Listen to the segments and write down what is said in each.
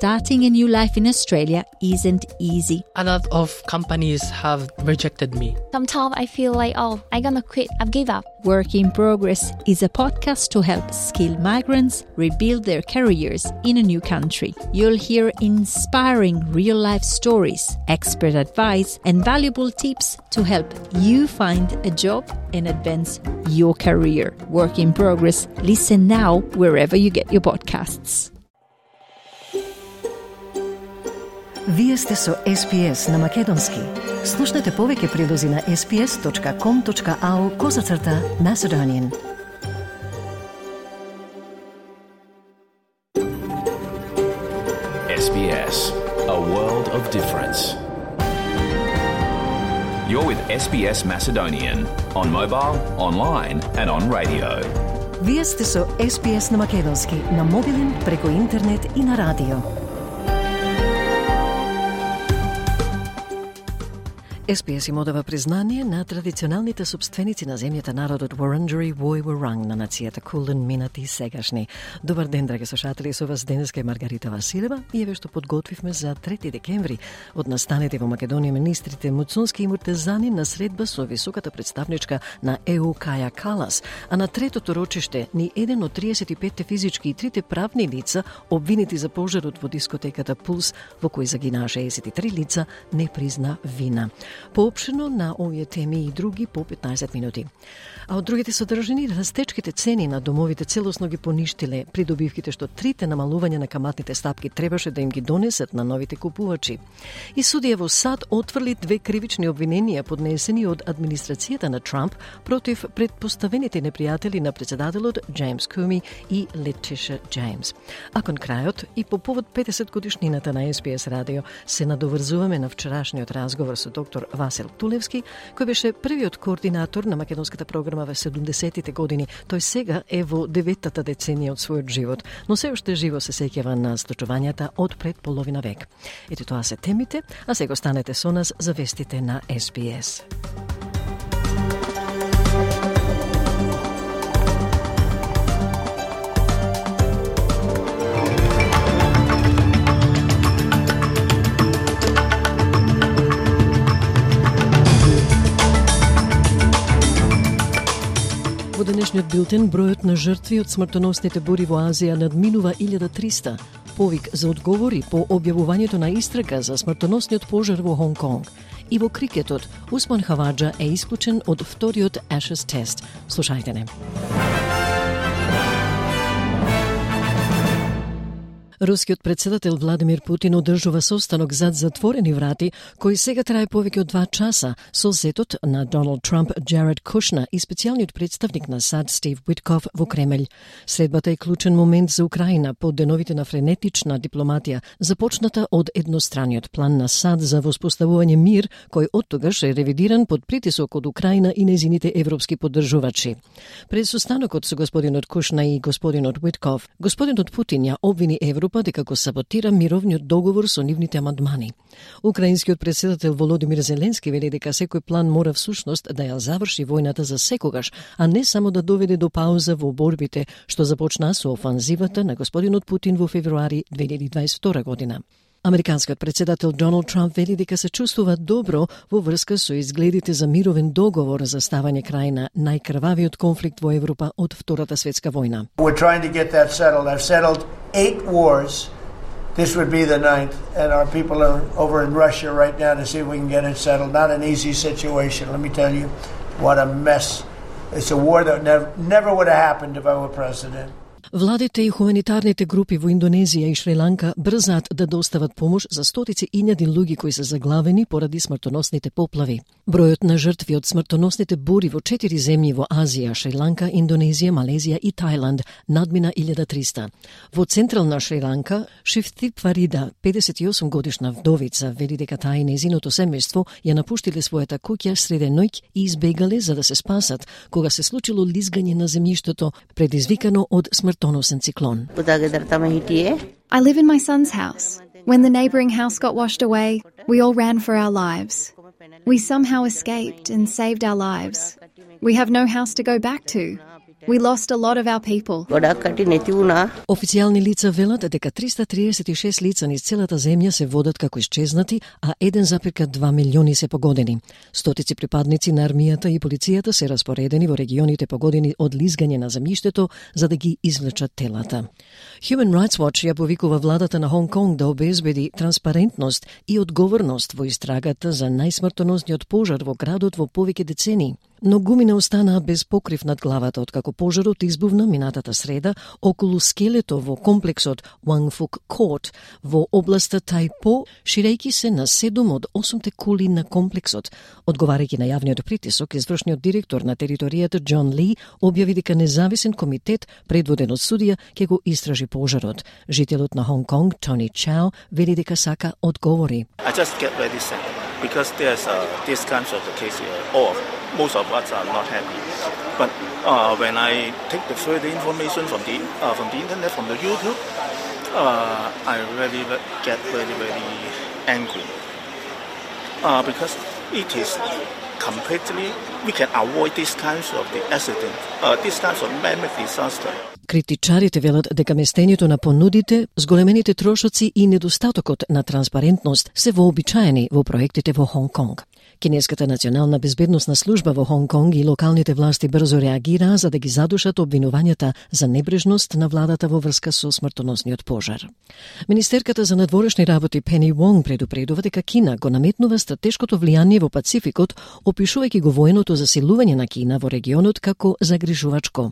starting a new life in Australia isn't easy. A lot of companies have rejected me. Sometimes I feel like, I'm gonna quit, I've give up. Work in Progress is a podcast to help skilled migrants rebuild their careers in a new country. You'll hear inspiring real-life stories, expert advice, and valuable tips to help you find a job and advance your career. Work in Progress. Listen now wherever you get your podcasts. Вие сте со SPS на Македонски. Слушнете повеќе прилози на sps.com.au/Macedonian. SBS, a world of difference. You're with SBS Macedonian on mobile, online and on radio. Вие сте со SPS на Македонски на мобилен, преку интернет и на радио. SPS им одава признание на традиционалните собственици на земјата, народот Wurundjeri Woi Wurrung на нацијата Кулин, минати и сегашни. Добар ден, драги слушатели, со вас денеска е Маргарита Василева и еве што подготвивме за 3 декември. Од настаните во Македонија министрите Муцунски и Муртезани на средба со високата представничка на ЕУ Каја Калас, а на третото рочиште ни еден од 35 физички и 3 правни лица обвинети за пожарот во дискотеката Пулс, во кој загинаа 63 лица, не призна вина. Поопшено на овие теми и други по 15 минути. А од другите содржини, растечките цени на домовите целосно ги поништиле придобивките што трите намалување на каматните стапки требаше да им ги донесат на новите купувачи. И судија во САД отврли 2 кривични обвиненија поднесени од администрацијата на Трамп против предпоставените непријатели на председателот Джеймс Коми и Летиша Джеймс. А кон крајот и по повод 50 годишнината на SPS радио се надоврзуваме на вчерашниот разговор со доктор Васил Тулевски, кој беше првиот координатор на македонската програма во 70-тите години. Тој сега е во 9-та деценија од својот живот, но се уште живо се сеќава на случувањата од пред половина век. Ето тоа се темите, а сега останете со нас за вестите на SPS. Во денешниот билтен бројот на жртви од смртоносните бури во Азија надминува 1300. Повик за одговори по објавувањето на истрага за смртоносниот пожар во Хонг Конг. И во крикетот, Усман Хаваџа е исклучен од вториот Ashes тест. Слушајте не. Рускиот председател Владимир Путин одржува состанок зад затворени врати, кој сега трае повеќе од 2 часа, со зетот на Доналд Трамп, Джаред Кушнер и специјалниот представник на САД Стив Уитков во Кремљ. Средбата е клучен момент за Украина по деновите на френетична дипломатија, започната од едностраниот план на САД за воспоставување мир, кој оттогаш е ревидиран под притисок од Украина и незините европски поддржувачи. Пред состанокот со господинот Кушнер и господинот Уитков, господинот Путин ја обвини Европа дека го саботира мировниот договор со нивните амандмани. Украинскиот председател Володимир Зеленски вели дека секој план мора всушност да ја заврши војната за секогаш, а не само да доведе до пауза во борбите што започна со офанзивата на господинот Путин во февруари 2022 година. Американскиот председател Доналд Трамп вели дека се чувствува добро во врска со изгледите за мировен договор за ставање крај на најкрвавиот конфликт во Европа од Втората светска војна. We're trying to get that settled. I've settled 8 wars. This would be the 9th, and our people are over in Russia right now to see if we can get it settled. Not an easy situation, let me tell you. What a mess. It's a war that never would have happened if I were president. Владите и хуманитарните групи во Индонезија и Шри-Ланка брзаат да достават помош за стотици илјади луѓе кои се заглавени поради смртоносните поплави. Бројот на жртви од смртоносните бури во 4 земји во Азија, Шри-Ланка, Индонезија, Малезија и Тајланд надмина 1300. Во централна Шри-Ланка, Шифтип Фарида, 58 годишна вдовица, вели дека таа и незиното семејство ја напуштиле својата куќа среде ноќ и избегале за да се спасат, кога се случило лизгање на земјиштето предизвикано од смртоносен циклон. I live in my son's house. When the neighbouring house got washed away, we all ran for our lives. We somehow escaped and saved our lives. We have no house to go back to. We lost a lot of our people. Официјални лица велат дека 336 лица низ целата земја се водат како исчезнати, а 1,2 милиони се погодени. Стотици припадници на армијата и полицијата се распоредени во регионите погодени од лизгање на земјиштето за да ги извлечат телата. Human Rights Watch ја повикува владата на Хонг Конг да обезбеди транспарентност и одговорност во истрагата за најсмртоносниот пожар во градот во повеќе децении. Но гумина останаа без покрив над главата откако пожарот избувна минатата среда околу скелето во комплексот Wangfuk Court во областа Тајпо, ширејќи се на 7 од 8 кули на комплексот. Одговарајќи на јавниот притисок, извршниот директор на територијата Џон Ли објави дека независен комитет предводен од судија ќе го истражи пожарот. Жителот на Хонг Конг, Тони Чао, вели дека сака одговори. I just get very sad because there's this kind of the case most of us are not happy. But when I take the further information from the internet, from the YouTube, I really get very, very angry. Because it is completely, we can avoid this kinds of the accident, this kinds of man-made disaster. Критичарите велат дека местењето на понудите, зголемените трошоци и недостатокот на транспарентност се вообичаени во проектите во Хонг Конг. Кинеската национална безбедносна служба во Хонг Конг и локалните власти брзо реагираа за да ги задушат обвинувањата за небрежност на владата во врска со смртоносниот пожар. Министерката за надворешни работи Пени Вонг предупредува дека Кина го наметнува стратешкото влијание во Пацификот, опишувајќи го военото засилување на Кина во регионот како загрижувачко.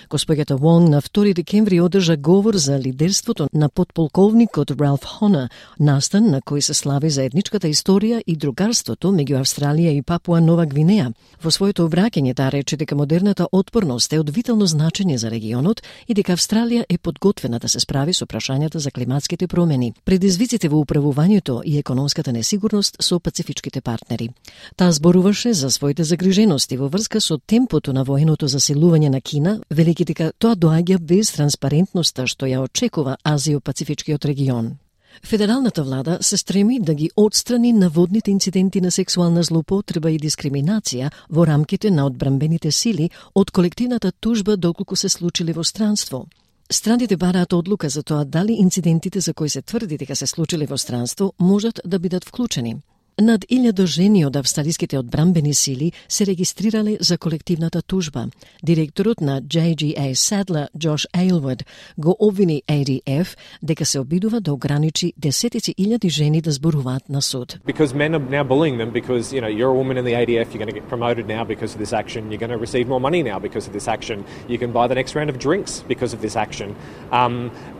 Госпоѓата Вонг на 2 декември одржа говор за лидерството на подполковникот Ралф Хона, настан на кој се слави заедничката историја и другарството меѓу Австралија и Папуа Нова Гвинеја. Во своето обраќање таа рече дека модерната отпорност е од витално значење за регионот и дека Австралија е подготвена да се справи со прашањата за климатските промени, предизвиците во управувањето и економската несигурност со пацифичките партнери. Таа зборуваше за своите загрижености во врска со темпото на военото засилување на Кина, велики дека тоа доаѓа без транспарентноста што ја очекува Азио-Пацифичкиот регион. Федералната влада се стреми да ги отстрани наводните инциденти на сексуална злоупотреба и дискриминација во рамките на одбранбените сили од колективната тужба доколку се случили во странство. Страните бараат одлука за тоа дали инцидентите за кои се тврди дека се случили во странство можат да бидат вклучени. Над 1000 жени од австралиските одбранбени сили се регистрирале за колективната тужба. Директорот на JGA Sadler, Josh Aylward, го обвини ADF дека се обидува да ограничи десетици илјади жени да зборуваат на суд. Because men are now bullying them because, you're a woman in the ADF, you're going to get promoted now because of this action, you're going to receive more money now because of this action, you can buy the next round of drinks because of this action.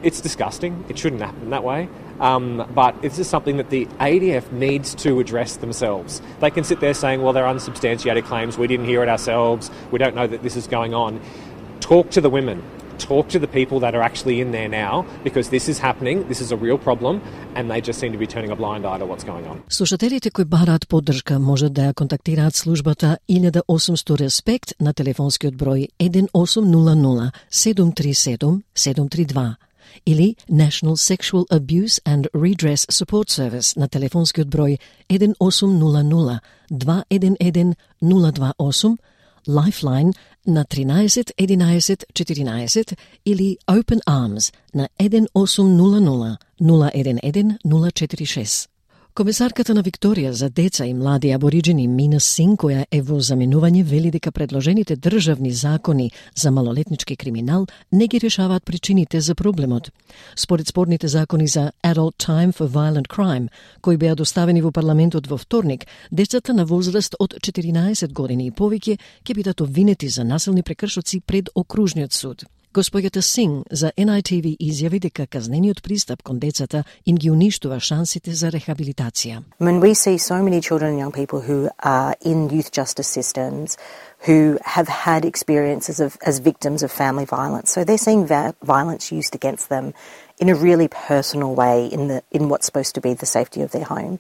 It's disgusting. It shouldn't happen that way. But this is something that the ADF needs to address themselves. They can sit there saying, well, they're unsubstantiated claims, we didn't hear it ourselves, we don't know that this is going on. Talk to the women. Talk to the people that are actually in there now, because this is happening, this is a real problem, and they just seem to be turning a blind eye to what's going on. Слушателите кои бараат поддршка можат да ја контактираат службата 1800 Респект на телефонскиот број 1800 737 732. Или National Sexual Abuse and Redress Support Service на телефонскиот број 1800 211 028, Lifeline на 13 11 14 или Open Arms на 1800 011 046. Комесарката на Викторија за деца и млади абориџени Мина Син, која е во заменување, вели дека предложените државни закони за малолетнички криминал не ги решаваат причините за проблемот. Според спорните закони за Adult Time for Violent Crime, кои беа доставени во парламентот во вторник, децата на возраст од 14 години и повеќе ќе бидат обвинети за насилни прекршоци пред окружниот суд. Госпоѓата Синг за NITV изјави дека казнениот пристап кон децата им ги уништува шансите за рехабилитација. When we see so many children and young people who are in youth justice systems who have had experiences as victims of family violence, so they're seeing violence used against them in a really personal way in what's supposed to be the safety of their home.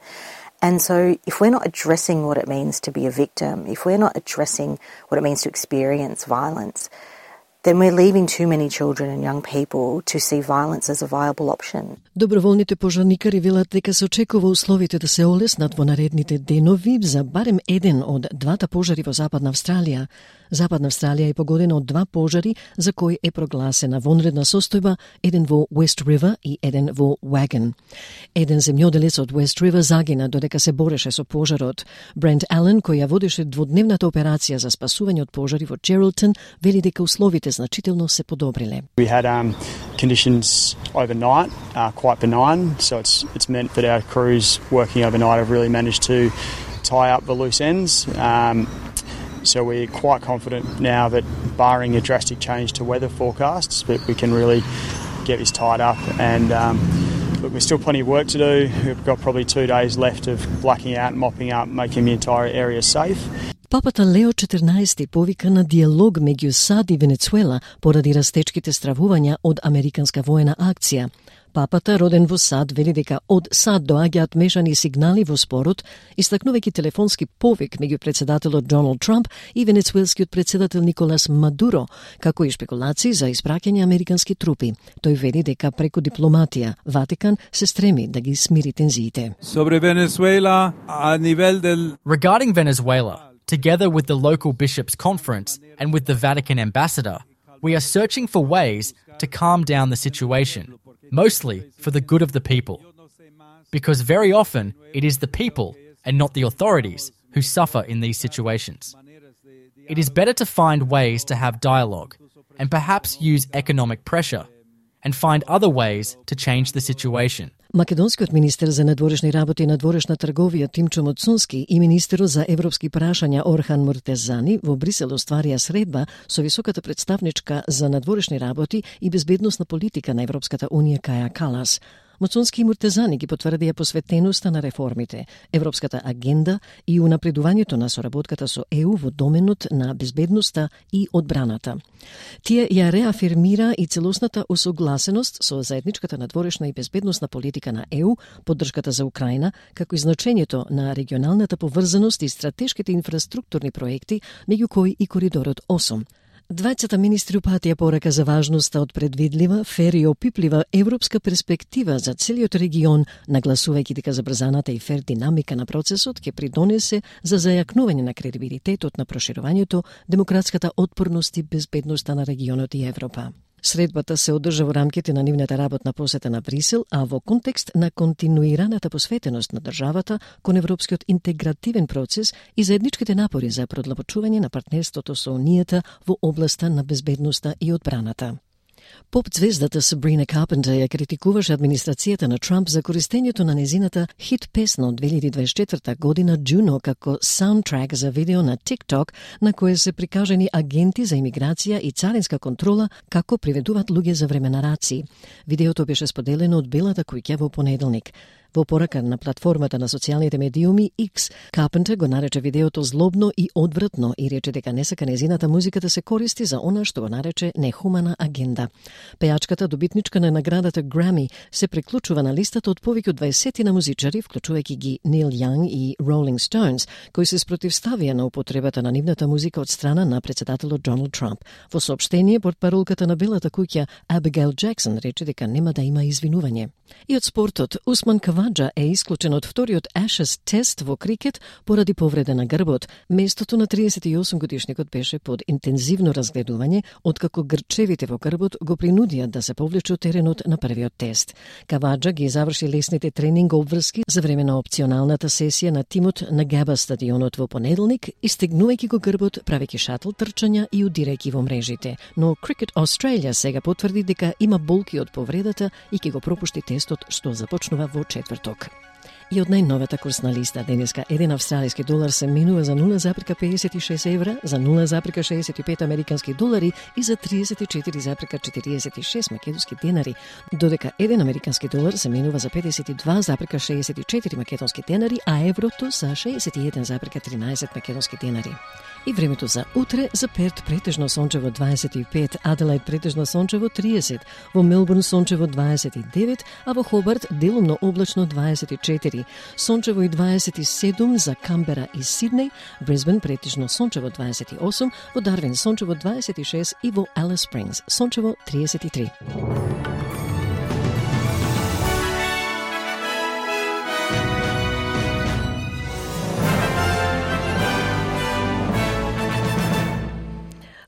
And so if we're not addressing what it means to be a victim, if we're not addressing what it means to experience violence, then we're leaving too many children and young people to see violence as a viable option. Доброволните пожарникари велат дека се очекува условите да се олеснат во наредните денови за барем еден од двата пожари во Западна Австралија. Западна Австралија е погодена од два пожари за кои е прогласена вонредна состојба, еден во West River и еден во Wagon. Еден земјоделец од West River загина додека се бореше со пожарот. Брент Ален, кој ја водеше дводневната операција за спасување од пожари во Geraldton, вели дека условите значително се подобриле. We had conditions overnight, quite benign, so it's meant that our crews working overnight have really managed to tie up the loose ends. So we're quite confident now that barring a drastic change to weather forecasts, that we can really get this tied up. And look, there's still plenty of work to do. We've got probably 2 days left of blacking out, mopping up, making the entire area safe. Папата Лео 14 повика на диалог меѓу САД и Венецуела поради растечките стравувања од американска воена акција. Папата, роден во САД, вели дека од САД доаѓаат мешани сигнали во спорот, истакнувајќи телефонски повик меѓу председателот Доналд Трамп и венецуелскиот председател Николас Мадуро, како и шпекулации за испраќање американски трупи. Тој вели дека преку дипломатија Ватикан се стреми да ги смири тензиите. Regarding Venezuela, together with the local bishops' conference and with the Vatican ambassador, we are searching for ways to calm down the situation, mostly for the good of the people. Because very often it is the people and not the authorities who suffer in these situations. It is better to find ways to have dialogue and perhaps use economic pressure and find other ways to change the situation. Македонскиот министер за надворешни работи и надворешна трговија Тимчо Моцунски и министерот за европски прашања Орхан Муртезани во Брисел остварија средба со високата представничка за надворешни работи и безбедносна политика на Европската унија Каја Калас. Моцунски и Муртезани ги потврдија посветеноста на реформите, европската агенда и унапредувањето на соработката со ЕУ во доменот на безбедноста и одбраната. Тие ја реафирмира и целосната усогласеност со заедничката надворешна и безбедносна политика на ЕУ, поддршката за Украина, како и значењето на регионалната поврзаност и стратешките инфраструктурни проекти, меѓу кои и коридорот 8. Двајцата министри упатија порака за важноста од предвидлива, фер и опиплива европска перспектива за целиот регион, нагласувајќи дека забрзаната и фер динамика на процесот ќе придонесе за зајакнување на кредибилитетот на проширувањето, демократската отпорност и безбедноста на регионот и Европа. Средбата се одржа во рамките на нивната работна посета на Брисел, а во контекст на континуираната посветеност на државата кон европскиот интегративен процес и заедничките напори за продлабочување на партнерството со Унијата во областа на безбедноста и одбраната. Поп-звездата Сабрина Карпентер ја критикуваше администрацијата на Трамп за користењето на незината хит песна од 2024 година Juno како саундтрак за видео на TikTok на кое се прикажани агенти за имиграција и царинска контрола како приведуваат луѓе за време на раци. Видеото беше споделено од Белата куќа во понеделник. Во порака на платформата на социјалните медиуми X, Карпентер го нарече видеото злобно и одвратно и рече дека не сака незината музика да се користи за она што го нарече нехумана агенда. Пејачката, добитничка на наградата Грами, се приклучува на листата од повеќе од 20 на музичари, вклучувајќи ги Нил Јанг и Rolling Stones, кои се спротивставија на употребата на нивната музика од страна на председателот Доналд Трамп. Во соопштение, портпаролката на Белата куќа Абигейл Джексон рече дека нема да има извинување. И од спортот, Усман Каваджа е исклучен од вториот Ashes тест во крикет поради повреда на грбот. Местото на 38 годишникот беше под интензивно разгледување, откако грчевите во грбот го принудија да се повлече од теренот на првиот тест. Каваджа ги заврши лесните тренинг обврски за време на опционалната сесија на тимот на Габа стадионот во понеделник, истегнувајќи го грбот, правејќи шатл трчања и удирајќи во мрежите. Но Cricket Australia сега потврди дека има болки од повредата и ќе го пропушти тестот што започнува во четврток. И од најновата курсна листа денеска 1 австралиски долар се менува за 0,56 евра, за 0,65 американски долари и за 34,46 македонски денари, додека 1 американски долар се менува за 52,64 македонски денари, а еврото за 61,13 македонски денари. И времето за утре: за Перт претежно сончево 25, Аделаид претежно сончево 30, во Мелбурн сончево 29, а во Хобарт делумно облачно 24, 24, сончево и 27 за Камбера и Сиднеј, Брисбен претежно сончево 28, во Дарвин сончево 26 и во Алис Спрингс сончево 33.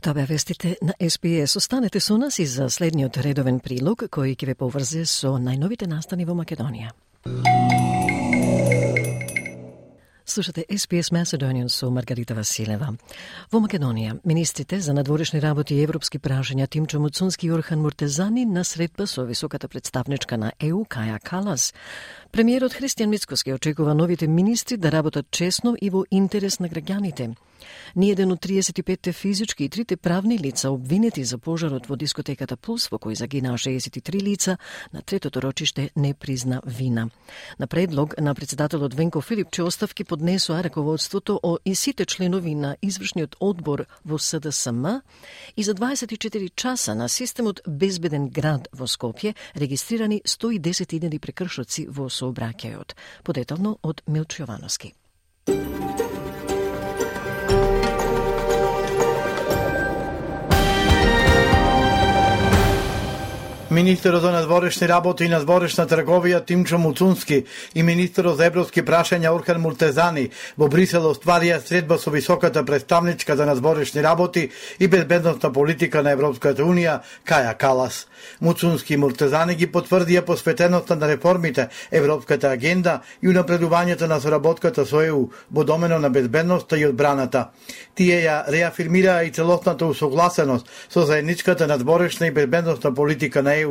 Тоа беа вестите на СПС. Останете со нас и за следниот редовен прилог кој ќе ве поврзе со најновите настани во Македонија. Слушате СПС Macedonian со Маргарита Василева. Во Македонија, министрите за надворешни работи и европски прашања Тимчо Муцунски и Орхан Муртезани на средба со високата представничка на ЕУ Каја Калас. Премиерот Христијан Мицкоски очекува новите министри да работат честно и во интерес на граѓаните. Ниеден од 35 физички и 3 правни лица обвинети за пожарот во дискотеката Пулс, во кој загинаа 63 лица, на третото рочиште не призна вина. На предлог на председателот Венко Филипче оставки поднесоа раководството и сите членови на извршниот одбор во СДСМ и за 24 часа на системот Безбеден град во Скопје регистрирани 110.000 прекршоци во сообраќајот. Подетално од Милчо Јовановски. Министерот за надворешни работи и надворешна трговија Тимчо Муцунски и министерот за европски прашања Орхан Муртезани во Брисел остварија средба со високата представничка за надворешни работи и безбедносна политика на Европската унија Каја Калас. Муцунски и Муртезани ги потврдија посветеноста на реформите, европската агенда и унапредувањето на соработката со ЕУ во домено на безбедноста и одбраната. Тие ја реафирмираа и целосната усогласеност со заедничката надворешна и безбедносна политика на ЕУ,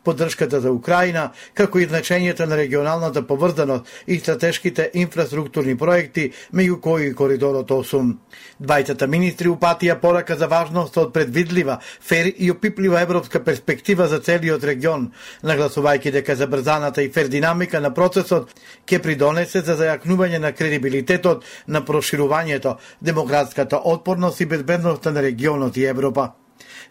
поддршката за Украина, како и значењето на регионалната поврзаност и стратешките инфраструктурни проекти, меѓу кои и Коридорот 8. Двајцата министри упатија порака за важноста од предвидлива, фер и опиплива европска перспектива за целиот регион, нагласувајќи дека забрзаната и фер динамика на процесот ќе придонесе за зајакнување на кредибилитетот на проширувањето, демократската отпорност и безбедноста на регионот и Европа.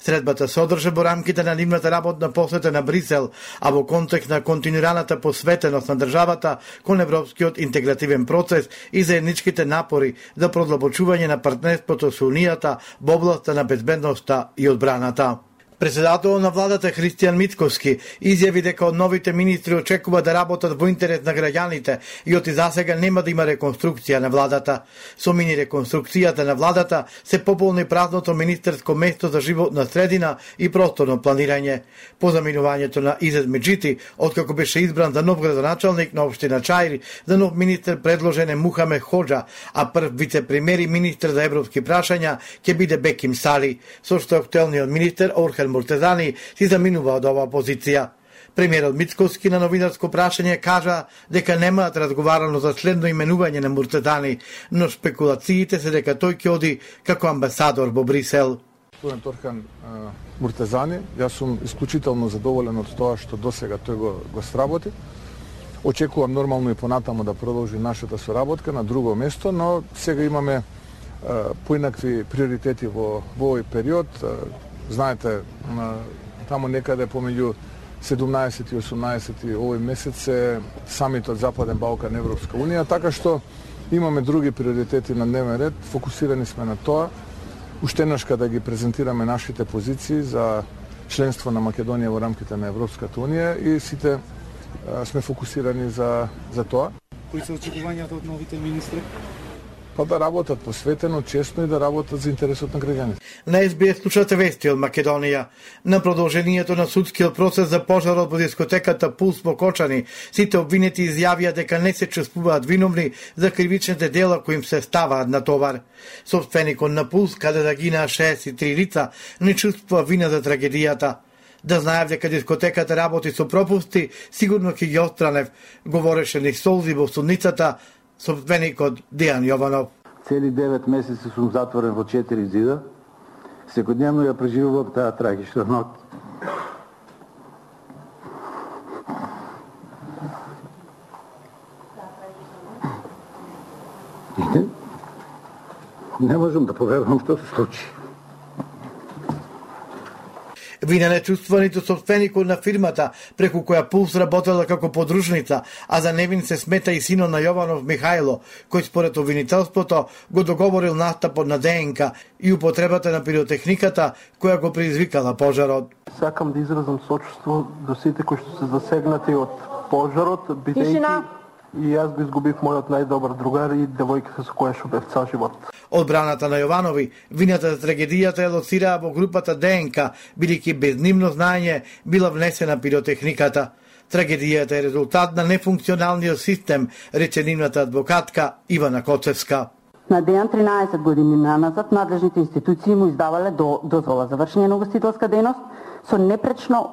Средбата се одржа во рамките на нивната работна посета на Брисел, а во контекст на континуираната посветеност на државата кон европскиот интегративен процес и заедничките напори за продлабочување на партнерството со Унијата во областа на безбедноста и одбраната. Председателот на владата Христијан Мицкоски изјави дека од новите министри очекува да работат во интерес на граѓаните и оти засега нема да има реконструкција на владата. Со мини реконструкцијата на владата се пополни празното министерско место за животна средина и просторно планирање. По заминувањето на Изет Меджити, откако беше избран за нов градоначалник на општина Чаир, за нов министер предложен е Мухамед Ходжа, а прв вице-премиер и министер за европски прашања ќе биде Беким Сали, со што актуелниот министер Орхан Муртезани си заминува од оваа позиција. Премиерот Мицкоски на новинарско прашање кажа дека немаат разговарано за следно именување на Муртезани, но спекулациите се дека тој ќе оди како амбасадор во Брисел. Господин Орхан Муртезани, јас сум исклучително задоволен од тоа што досега тој го сработи. Очекувам нормално и понатаму да продолжи нашата соработка на друго место, но сега имаме поинакви приоритети во овој период. Знаете, таму некаде помеѓу 17 и 18 овој месец е самитот Западен Балкан Европска Унија, така што имаме други приоритети на дневен ред, фокусирани сме на тоа, уште еднашка да ги презентираме нашите позиции за членство на Македонија во рамките на Европската Унија и сите сме фокусирани за тоа. Кои се очекувањата од новите министри? Па да работат посветено, честно и да работат за интересот на граѓаните. На СБС слушате вести од Македонија. На продолжението на судскиот процес за пожарот во дискотеката Пулс во Кочани, сите обвинети изјавија дека не се чувствуваат виновни за кривичните дела кои им се ставаат на товар. Собственикот на Пулс, каде загинаа 63 лица, не чувствува вина за трагедијата. Да знаев дека дискотеката работи со пропусти, сигурно ќе ги отстранев, говореше низ солзи во судницата собственикот Дејан Јованов. Цели 9 месеци сум затворен во 4 зида. Секојдневно ја преживувам таа трагична ноќ. Не можам да поверувам што се случи. Вина не чувствува ниту собственикот на фирмата, преку која Пулс работела како подружница, а за невин се смета и синот на Јованов Михајло, кој според обвинителството го договорил настапот на ДНК и употребата на пиротехниката која го предизвикала пожарот. Сакам да изразам сочувство до сите кои што се засегнати од пожарот, бидејќи и јас го изгубив мојот најдобар другар и девојката со која што бев цел живот. Одбраната на Јованови вината за трагедијата ја лоцираа во групата ДНК, бидејќи без нивно знаење била внесена пиротехниката. Трагедијата е резултат на нефункционалниот систем, рече нивната адвокатка Ивана Коцевска. На Дејан 13 години назад надлежните институции му издавале дозвола за вршење на угостителска дејност со непречно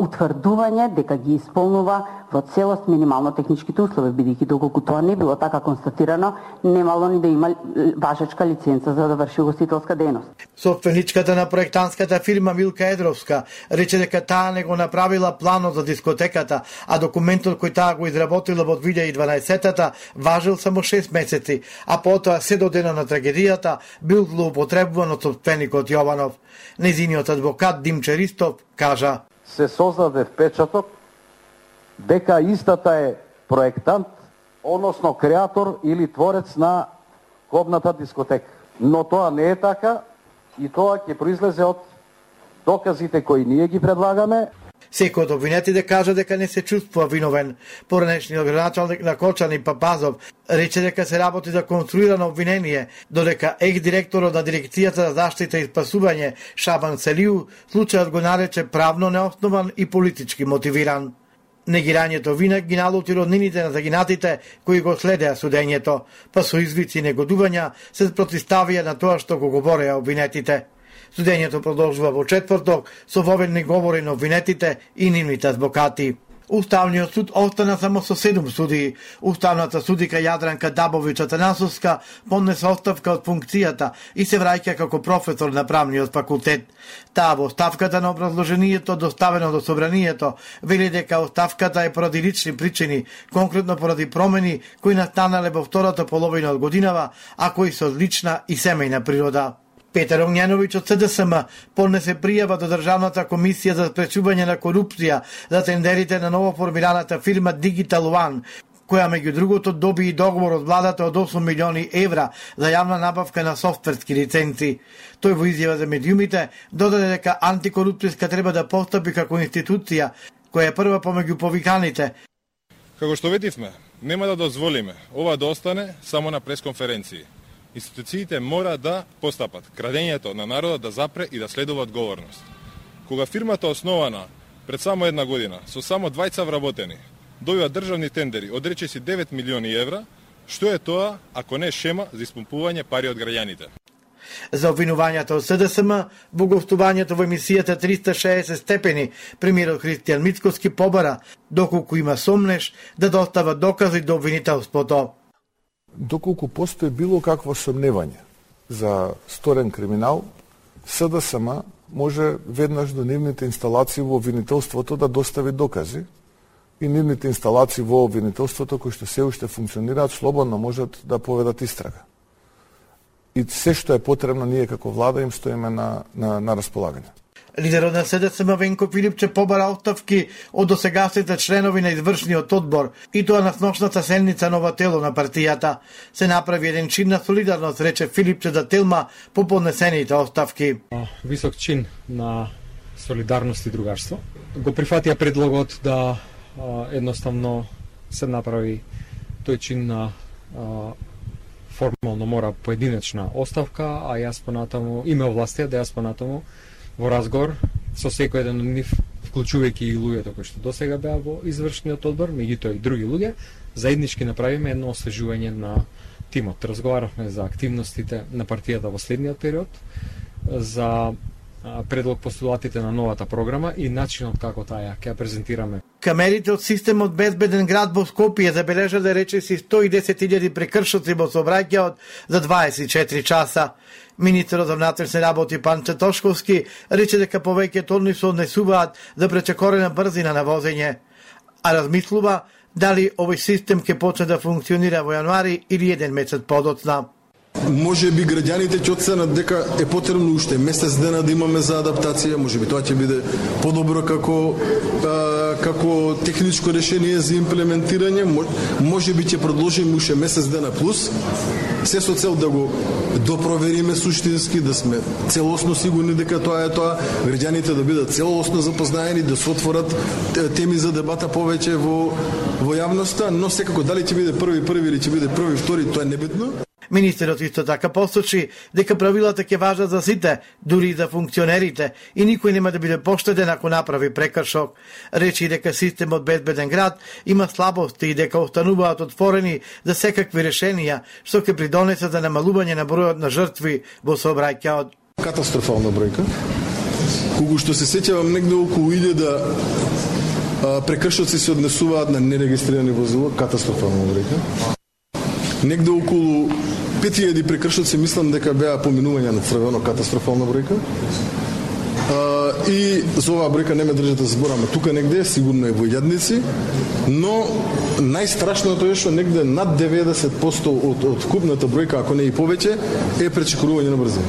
утврдување дека ги исполнува во целост минимално техничките услови, бидејќи доколку тоа не било така констатирано, немало ни да има важечка лиценца за да врши угостителска дејност. Собственичката на проектантската фирма Милка Едровска рече дека таа не го направила планот за дискотеката, а документот кој таа го изработила во 2012-та важил само 6 месеци, а потоа се до дена на трагедијата бил злоупотребуван од собственикот Јованов. Незиниот адвокат Димче Ристов кажа: се создаде впечаток дека истата е проектант, односно креатор или творец на клубната дискотека. Но тоа не е така и тоа ќе произлезе од доказите кои ние ги предлагаме. Секој од обвинетите кажа дека не се чувствува виновен. Поранешниот градоначалник на Кочани Папазов рече дека се работи за конструирано обвинение, додека директорот на Дирекцијата за заштита и спасување Шабан Селиу случајот го нарече правно неоснован и политички мотивиран. Негирањето вина ги налути роднините на загинатите кои го следеа судењето, па со извици и негодувања се протиставија на тоа што го говореа обвинетите. Судењето продолжува во четврток со воведни говори на обвинетите и нивните адвокати. Уставниот суд остана само со 7 судии. Уставната судика Јадранка Дабович Атанасовска поднесе оставка од функцијата и се враќа како професор на правниот факултет. Таа во оставката на образложението доставено до собранието вели дека оставката е поради лични причини, конкретно поради промени кои настанале во втората половина од годинава, а кои се од лична и семејна природа. Петар Огњановиќ од СДСМ поднесе пријава до Државната комисија за спречување на корупција за тендерите на новоформираната фирма Digital One, која меѓу другото доби и договор од владата од 8 милиони евра за јавна набавка на софтверски лиценци. Тој во изјава за медиумите додаде дека антикорупцијска треба да постапи како институција која е прва помеѓу повиканите. Како што видивме, нема да дозволиме ова да остане само на пресконференции. Институциите мора да постапат крадењето на народот да запре и да следува одговорност. Кога фирмата основана пред само една година со само 20 вработени, добива државни тендери од речиси 9 милиони евра, што е тоа ако не шема за испумпување пари од граѓаните? За обвинувањата од СДСМ во гостувањето во емисијата 360 степени, премиерот Христијан Мицкоски побара доколку има сомнеш да достава докази до обвинителството. Доколку постои било какво сомневање за сторен криминал, СДСМ може веднаш до нивните инсталации во обвинителството да достави докази и нивните инсталации во обвинителството кои што се уште функционираат слободно можат да поведат истрага. И се што е потребно ние како влада им стоиме на располагање. Лидерот на СДСМ Венко Филипче побара оставки од досегашните членови на извршниот одбор и тоа на сношната седница нова тело на партијата. Се направи еден чин на солидарност, рече Филипче за Телма по поднесените оставки. Висок чин на солидарност и другарство. Го прифатија предлогот да едноставно се направи тој чин на формално мора поединечна оставка, а јас понатаму име овластија да јас понатаму во разговор со секој еден од нив, вклучувајќи и луѓето кои што досега беа во извршниот одбор, меѓутоа и други луѓе, заеднички направиме едно освежување на тимот. Разговаравме за активностите на партијата во следниот период, за предлог постулатите на новата програма и начинот како таа ќе ја презентираме. Камерите од системот Безбеден град во Скопје забележале речиси 110.000 прекршоци во сообраќајот за 24 часа. Министерот за внатрешни работи Панче Тошковски рече дека повеќето од нив се однесуваат за пречекорена брзина на возење, а размислува дали овој систем ќе почне да функционира во јануари или еден месец подоцна. Може би граѓаните ќе оценат дека е потребно уште месец дена да имаме за адаптација, може би тоа ќе биде подобро како техничко решение за имплементирање, може би ќе продолжиме уште месец дена плюс, се со цел да го допровериме суштински, да сме целосно сигурни дека тоа е тоа, граѓаните да бидат целосно запознаени, да се отворат теми за дебата повеќе во јавноста, но секако дали ќе биде први или ќе биде први, втори, тоа е небитно. Министерот исто така посочи дека правилата ќе важат за сите, дури и за функционерите, и никој нема да биде поштеден ако направи прекршок. Речи дека системот Безбеден град има слабости и дека остануваат отворени за секакви решенија, што ќе придонесе за намалување на бројот на жртви во сообраќајот. Катастрофална бројка. Кога што се сеќавам негде околу 1000 прекршоци се однесуваат на нерегистрирани возила, катастрофална бројка. Негде околу 5000 прекршоци мислам дека беа поминување на црвено, катастрофална бројка. И за оваа бројка не ме држите да збораме тука негде, сигурно е во илјадници, но најстрашното е што негде над 90% од купната бројка, ако не и повеќе, е пречекорување на брзина.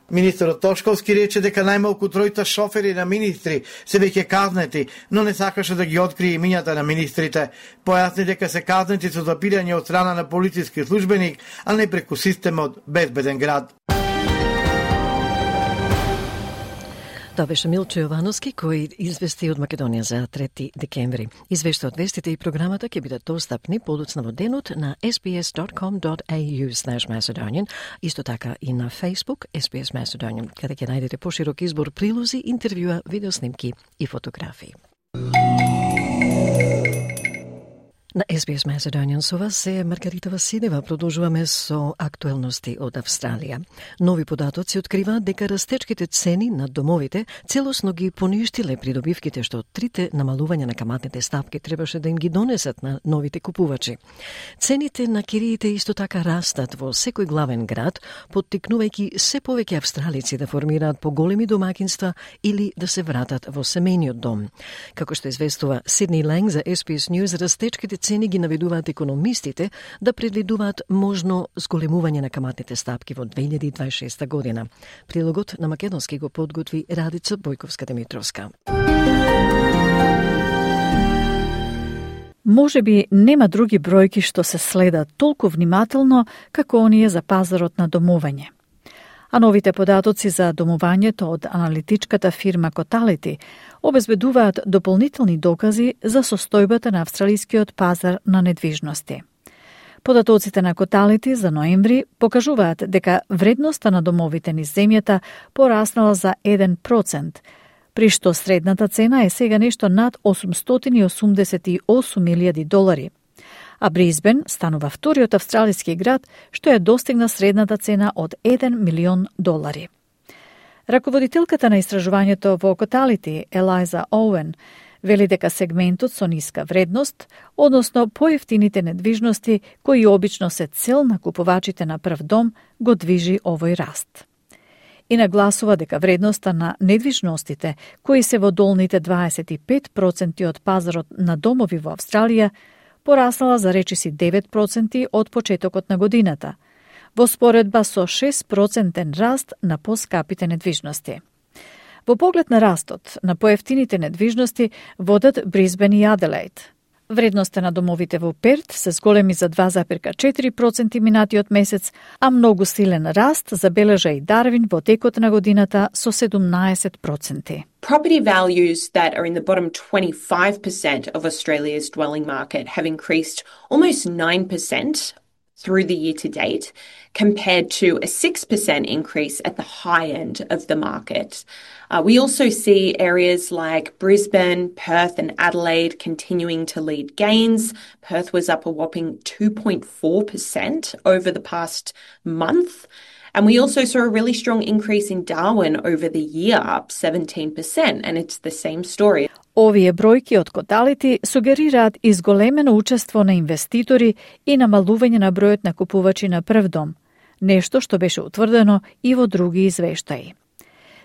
Министерот Тошковски рече дека најмалку 3 шофери на министри се веќе казнети, но не сакаше да ги открие имињата на министрите. Појасни дека се казнети со запирање од страна на полициски службеник, а не преку системот Безбеден град. Тоа беше Милчо Јовановски кој извести од Македонија за 3 декември. Извештаот, вестите и програмата ќе бидат достапни подоцна во денот на sbs.com.au/Macedonian, исто така и на Facebook SBS Macedonian, каде ќе најдете поширок избор прилози, интервјуа, видеоснимки и фотографии. На SBS Macedonian со вас се Маргарита Василева. Продолжуваме со актуелности од Австралија. Нови податоци откриваат дека растечките цени на домовите целосно ги поништиле придобивките што трите намалувања на каматните стапки требаше да им ги донесат на новите купувачи. Цените на кириите исто така растат во секој главен град, поттикнувајќи се повеќе австралици да формираат поголеми домакинства или да се вратат во семејниот дом. Како што известува Сидни Ланг за SBS News, растечките цени ги наведуваат економистите да предвидуваат можно зголемување на каматните стапки во 2026 година. Прилогот на македонски го подготви Радица Бојковска-Димитровска. Може би нема други бројки што се следат толку внимателно како оние за пазарот на домување. А новите податоци за домувањето од аналитичката фирма Cotality обезбедуваат дополнителни докази за состојбата на австралискиот пазар на недвижности. Податоците на Cotality за ноември покажуваат дека вредноста на домовите низ земјата пораснала за 1%, при што средната цена е сега нешто над $888,000, а Брисбен станува вториот австралиски град што ја достигна средната цена од $1 милион. Раководителката на истражувањето во Cotality, Елайза Оуен, вели дека сегментот со ниска вредност, односно поевтините недвижности кои обично се цел на купувачите на прв дом, го движи овој раст. И нагласува дека вредноста на недвижностите, кои се во долните 25% од пазарот на домови во Австралија, пораснала за речиси 9% од почетокот на годината, во споредба со 6% раст на поскапите недвижности. Во поглед на растот на поевтините недвижности водат Брисбен и Аделаид. Вредноста на домовите во Перт се зголеми за 2,4% минатиот месец, а многу силен раст забележа и Дарвин во текот на годината со 17%. Property values that are in the bottom 25% of Australia's dwelling market have increased almost 9% through the year to date, compared to a 6% increase at the high end of the market. We also see areas like Brisbane, Perth and Adelaide continuing to lead gains. Perth was up a whopping 2.4% over the past month. And we also saw a really strong increase in Darwin over the year, up 17%, and it's the same story. Овие бројки од Cotality сугерираат изголемено учество на инвеститори и намалување на бројот на купувачи на прв дом, нешто што беше утврдено и во други извештаи.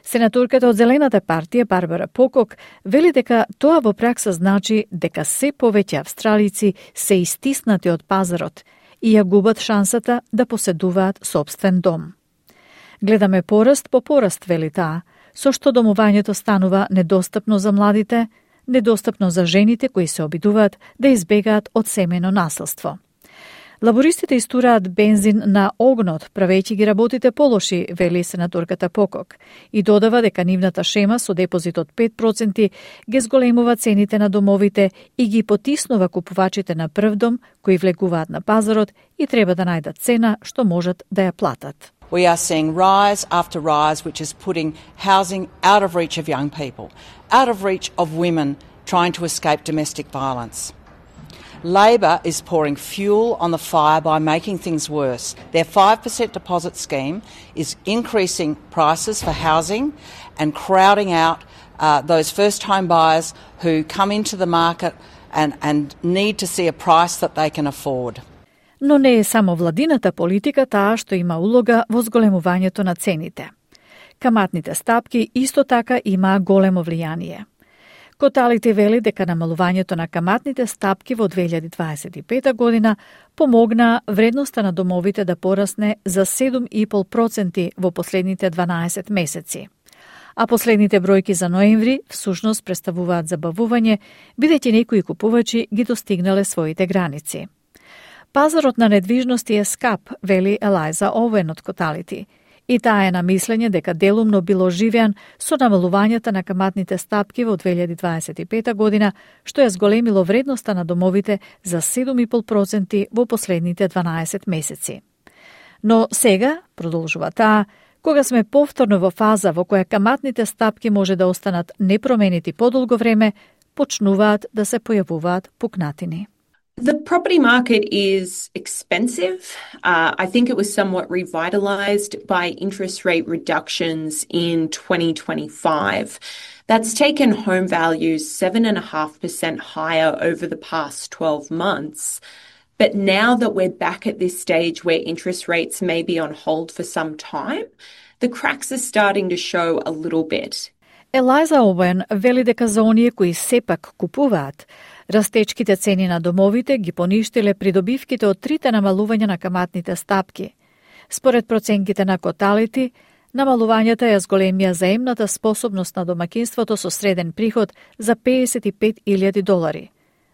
Сенаторката од Зелената партија Барбара Покок вели дека тоа во пракса значи дека се повеќе австралици се истиснати од пазарот и ја губат шансата да поседуваат собствен дом. Гледаме пораст по пораст, вели таа, со што домувањето станува недостапно за младите, недостапно за жените кои се обидуваат да избегаат од семејно насилство. Лабористите истураат бензин на огнот, правејќи ги работите полоши, вели сенаторката Покок, и додава дека нивната шема со депозит од 5% ги зголемува цените на домовите и ги потиснува купувачите на прв дом кои влегуваат на пазарот и треба да најдат цена што можат да ја платат. We are seeing rise after rise, which is putting housing out of reach of young people, out of reach of women trying to escape domestic violence. Labor is pouring fuel on the fire by making things worse. Their 5% deposit scheme is increasing prices for housing and crowding out those first-time buyers who come into the market and need to see a price that they can afford. Но не е само владината политика таа што има улога во зголемувањето на цените. Каматните стапки исто така имаа големо влијание. Коталите вели дека намалувањето на каматните стапки во 2025 година помогна вредноста на домовите да порасне за 7,5% во последните 12 месеци. А последните бројки за ноември всушност представуваат забавување, бидејќи некои купувачи ги достигнале своите граници. Пазарот на недвижности е скап, вели Елайза Оуен од Коталити, и таа е на мислење дека делумно било живеан со намалувањата на каматните стапки во 2025 година, што ја зголемило вредноста на домовите за 7,5% во последните 12 месеци. Но сега, продолжува таа, кога сме повторно во фаза во која каматните стапки може да останат непроменети подолго време, почнуваат да се појавуваат пукнатини. The property market is expensive. I think it was somewhat revitalized by interest rate reductions in 2025. That's taken home values 7.5% higher over the past 12 months. But now that we're back at this stage where interest rates may be on hold for some time, the cracks are starting to show a little bit. Елайза Оуен вели дека за оние кои сепак купуваат, растечките цени на домовите ги поништиле придобивките од трите намалувања на каматните стапки. Според проценките на Коталити, намалувањата ја зголемија заемната способност на домакинството со среден приход за $55,000,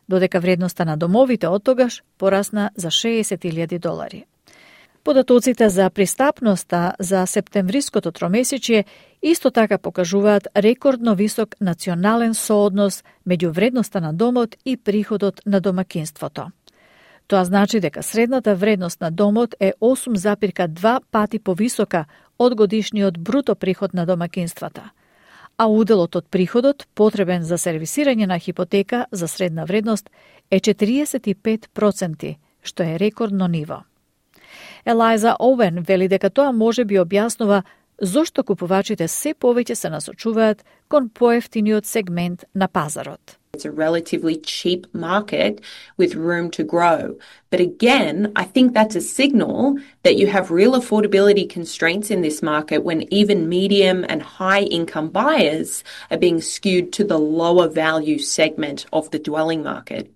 додека вредноста на домовите од тогаш порасна за $60,000. Податоците за пристапноста за септемвриското тромесечие исто така покажуваат рекордно висок национален сооднос меѓу вредноста на домот и приходот на домакинството. Тоа значи дека средната вредност на домот е 8,2 пати повисока од годишниот бруто приход на домакинствата, а уделот од приходот потребен за сервисирање на хипотека за средна вредност е 45%, што е рекордно ниво. Елайза Оуен вели дека тоа може би објаснува зошто купувачите се повеќе се насочуваат кон поевтиниот сегмент на пазарот. It's a relatively cheap market with room to grow. But again, I think that's a signal that you have real affordability constraints in this market when even medium and high income buyers are being skewed to the lower value segment of the dwelling market.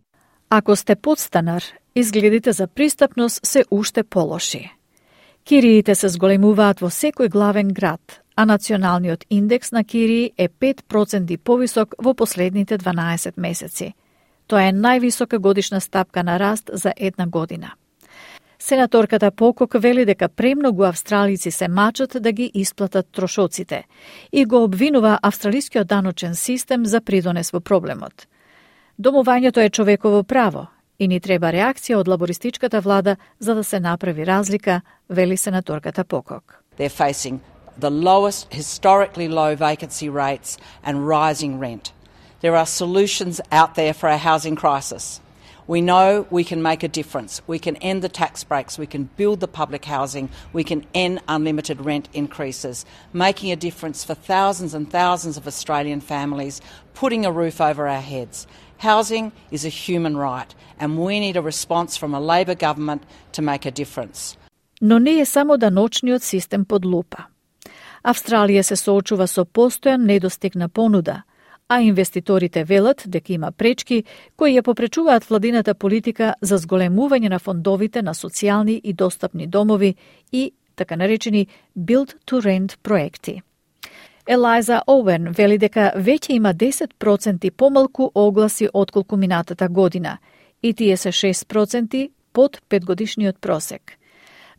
Ако сте подстанар, изгледите за пристапност се уште полоши. Кириите се зголемуваат во секој главен град, а националниот индекс на кирии е 5% повисок во последните 12 месеци. Тоа е највисока годишна стапка на раст за една година. Сенаторката Покок вели дека премногу австралици се мачат да ги исплатат трошоците и го обвинува австралискиот даночен систем за придонес во проблемот. Домувањето е човеково право и ни треба реакција од лабористичката влада за да се направи разлика, вели сенаторката Покок. They're facing the lowest, historically low vacancy rates and rising rent. There are solutions out there for our housing crisis. We know we can make a difference. We can end the tax breaks. We can build the public housing. We can end unlimited rent increases, making a difference for thousands and thousands of Australian families, putting a roof over our heads. Housing is a human right, and we need a response from a Labor government to make a difference. Но не е само даночниот систем под лупа. Австралија се соочува со постојан недостиг на понуда, а инвеститорите велат дека има пречки кои ја попречуваат владината политика за зголемување на фондовите на социјални и достапни домови и така наречени build-to-rent проекти. Елайза Оуен вели дека веќе има 10% помалку огласи отколку минатата година и тие се 6% под 5-годишниот просек.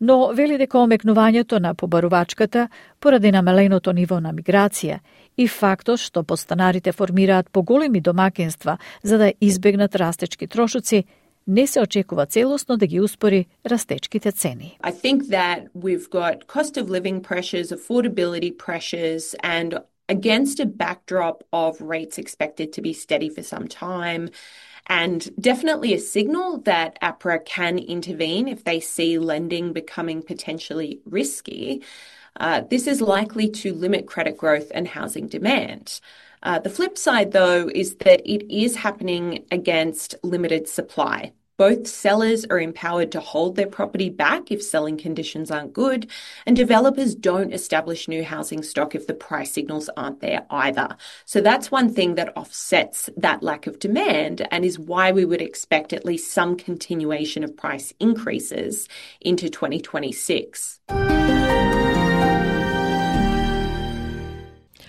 Но вели дека омекнувањето на побарувачката поради намаленото ниво на миграција и фактот што подстанарите формираат поголеми домакинства за да избегнат растечки трошоци, не се очекува целосно да ги успори растечките цени. I think that we've got cost of living pressures, affordability pressures, and against a backdrop of rates expected to be steady for some time, and definitely a signal that APRA can intervene if they see lending becoming potentially risky. This is likely to limit credit growth and housing demand. The flip side, though, is that it is happening against limited supply. Both sellers are empowered to hold their property back if selling conditions aren't good, and developers don't establish new housing stock if the price signals aren't there either. So that's one thing that offsets that lack of demand and is why we would expect at least some continuation of price increases into 2026.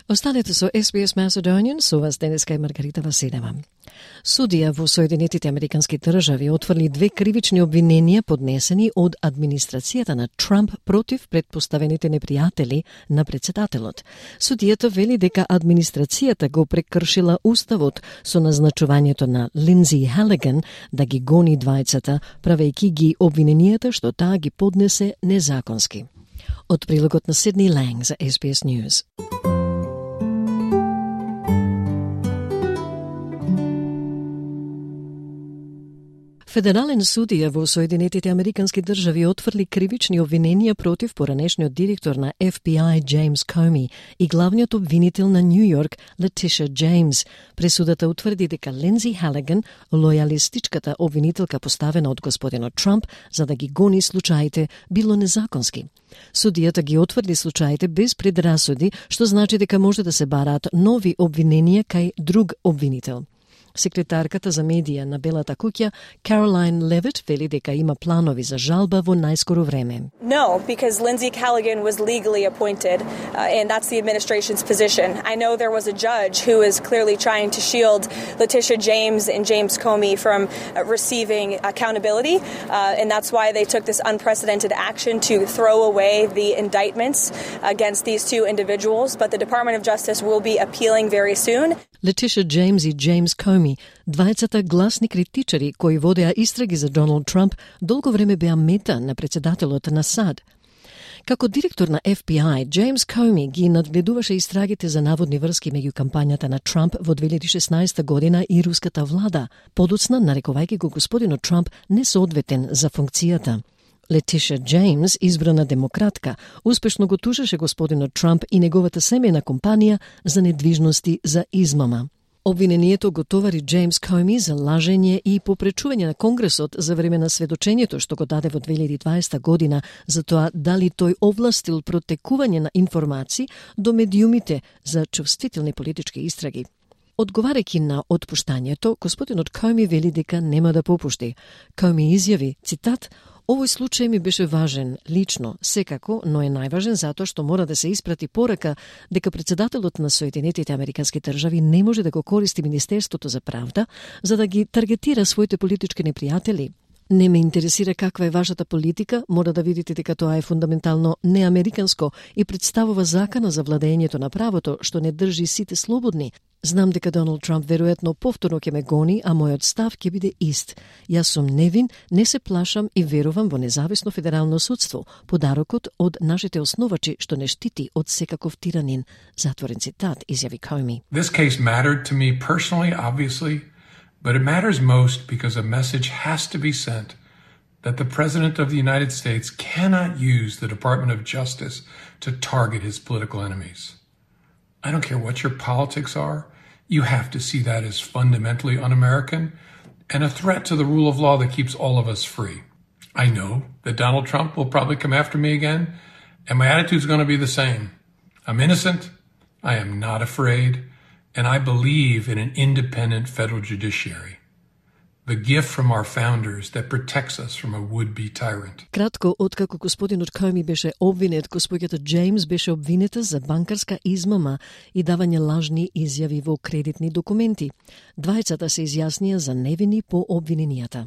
Останете со SBS Macedonian, со вас денеска е Маргарита Василева. Судија во Соединетите Американски држави отфрли 2 кривични обвиненија поднесени од администрацијата на Трамп против предпоставените непријатели на претседателот. Судијата вели дека администрацијата го прекршила уставот со назначувањето на Линдзи Халиган да ги гони двајцата, правејќи ги обвиненијата што таа ги поднесе незаконски. Од прилогот на Сидни Ланг за SBS News. Федерален судија во Соединетите Американски држави отфрли кривични обвиненија против поранешниот директор на FBI Джеймс Коми и главниот обвинител на Нью Йорк Летиша Джеймс. Пресудата утврди дека Линдзи Халиган, лојалистичката обвинителка поставена од господинот Трамп за да ги гони случаите, било незаконски. Судијата ги отврди случаите без предрасуди, што значи дека може да се бараат нови обвиненија кај друг обвинител. Секретарката за медија на Белата куќа, Caroline Levitt, вели дека има планови за жалба во најскоро време. No, because Lindsay Callaghan was legally appointed, and that's the administration's position. I know there was a judge who is clearly trying to shield Letitia James and James Comey from receiving accountability, and that's why they took this unprecedented action to throw away the indictments against these two individuals, but the Department of Justice will be appealing very soon. Летиша Джеймс и Джеймс Коми, двајцата гласни критичари кои водеа истраги за Доналд Трамп, долго време беа мета на претседателот на САД. Како директор на FBI, Джеймс Коми ги надгледуваше истрагите за наводни врски меѓу кампањата на Трамп во 2016 година и руската влада, подоцна нарекувајќи го господинот Трамп несоодветен за функцијата. Летиша Джеймс, избрана демократка, успешно го тужеше господинот Трамп и неговата семејна компанија за недвижности за измама. Обвинението го товари Джеймс Коми за лажење и попречување на Конгресот за време на сведочењето што го даде во 2020 година за тоа дали тој овластил протекување на информации до медиумите за чувствителни политички истраги. Одговарајќи на отпуштањето, господинот Коми вели дека нема да попушти. Коми изјави, цитат, "Овој случај ми беше важен, лично, секако, но е најважен затоа што мора да се испрати порака дека претседателот на Соединетите Американски држави не може да го користи Министерството за правда за да ги таргетира своите политички непријатели. Не ме интересира каква е вашата политика, мора да видите дека тоа е фундаментално неамериканско и представува закана за владењето на правото што не држи сите слободни. Знам дека Доналд Трамп веројатно повторно ќе ме гони, а мојот став ќе биде ист. Јас сум невин, не се плашам и верувам во независно федерално судство, подарокот од нашите основачи што не штити од секаков тиранин. Затворен цитат, изјави Коми. This case mattered to me personally, obviously, but it matters most because a message has to be sent that the President of the United States cannot use the Department of Justice to target his political enemies. I don't care what your politics are, you have to see that as fundamentally un-American and a threat to the rule of law that keeps all of us free. I know that Donald Trump will probably come after me again, and my attitude is going to be the same. I'm innocent, I am not afraid, and I believe in an independent federal judiciary, the gift from our founders that protects us from a would-be tyrant. Кратко откако господинот Коми беше обвинет, господјата Джеймс беше обвинета за банкарска измама и давање лажни изјави во кредитни документи. Двајцата се изјаснија за невини по обвиненијата.